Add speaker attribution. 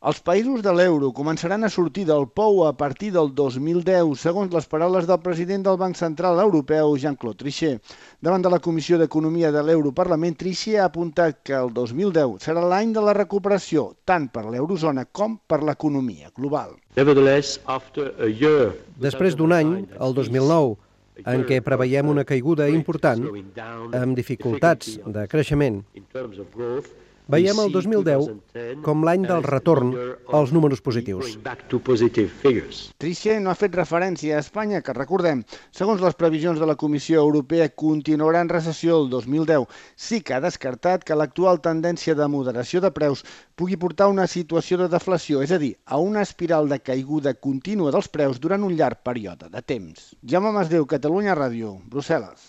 Speaker 1: Els països de l'euro començaran a sortir del pou a partir del 2010, segons les paraules del president del Banc Central Europeu, Jean-Claude Trichet. Davant de la Comissió d'Economia de l'Europarlament, Trichet ha apuntat que el 2010 serà l'any de la recuperació, tant per l'eurozona com per l'economia global.
Speaker 2: Després d'un any, el 2009, en què preveiem una caiguda important, amb dificultats de creixement, veiem el 2010 com l'any del retorn als números positius.
Speaker 1: Trichet no ha fet referència a Espanya, que recordem, segons les previsions de la Comissió Europea, continuarà en recessió el 2010. Sí que ha descartat que l'actual tendència de moderació de preus pugui portar a una situació de deflació, és a dir, a una espiral de caiguda contínua dels preus durant un llarg període de temps. Jaume Masdeu, Catalunya Ràdio, Brussel·les.